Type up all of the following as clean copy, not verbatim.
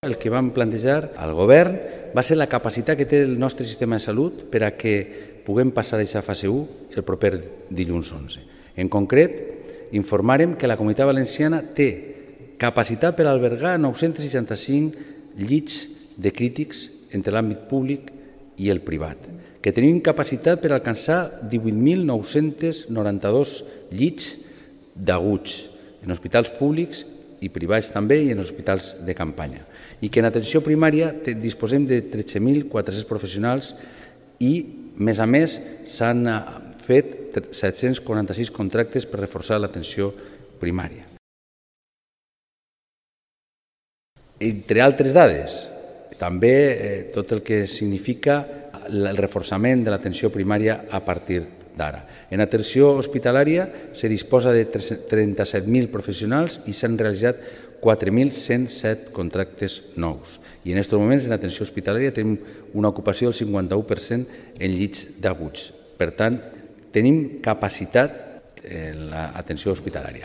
El que vam plantejar al govern va ser la capacitat que té el nostre sistema de salut per a que puguem passar d'aquesta fase 1 el proper dilluns 11. En concret, informarem que la Comunitat Valenciana té capacitat per albergar 965 llits de crítics entre l'àmbit públic i el privat, que tenim capacitat per alcançar 18.992 llits d'aguts en hospitals públics i privats també i en hospitals de campanya, i que en atenció primària disposem de 13.400 professionals i, més a més, s'han fet 746 contractes per reforçar l'atenció primària. Entre altres dades, també tot el que significa el reforçament de l'atenció primària a partir d'ara. En atenció hospitalària se disposa de 37.000 professionals i s'han realitzat 4.107 contractes nous. I en aquests moments en atenció hospitalària tenim una ocupació del 51% en llits d'aguts. Per tant, tenim capacitat en l'atenció hospitalària.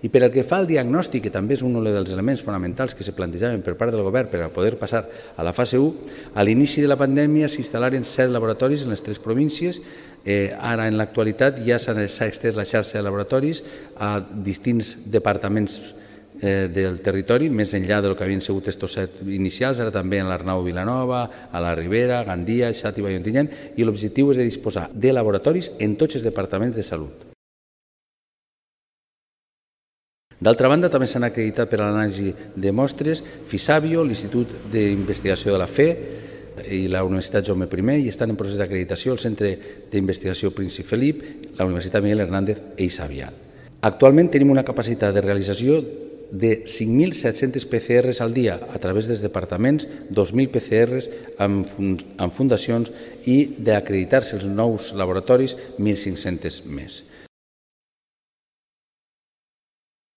I per el que fa al diagnòstic, que també és un dels elements fonamentals que se plantejaven per part del govern per a poder passar a la fase 1, a l'inici de la pandèmia s'instal·laren 7 laboratoris en les 3 províncies. Ara, en l'actualitat, ja s'ha estès la xarxa de laboratoris a distints departaments del territori, més enllà del que havien sigut aquests 7 inicials, ara també en l'Arnau Vilanova, a la Ribera, Gandia, Xàtiva i Ontinyent, i l'objectiu és de disposar de laboratoris en tots els departaments de salut. D'altra banda, també s'han acreditat per a l'anàlisi de mostres Fisabio, l'Institut d'Investigació de la Fe i la Universitat Jaume I, i estan en procés d'acreditació el Centre d'Investigació Príncep Felip, la Universitat Miguel Hernández i Xavier. Actualment tenim una capacitat de realització de 5.700 PCRs al dia a través dels departaments, 2.000 PCRs amb fundacions i d'acreditar-se els nous laboratoris, 1.500 més.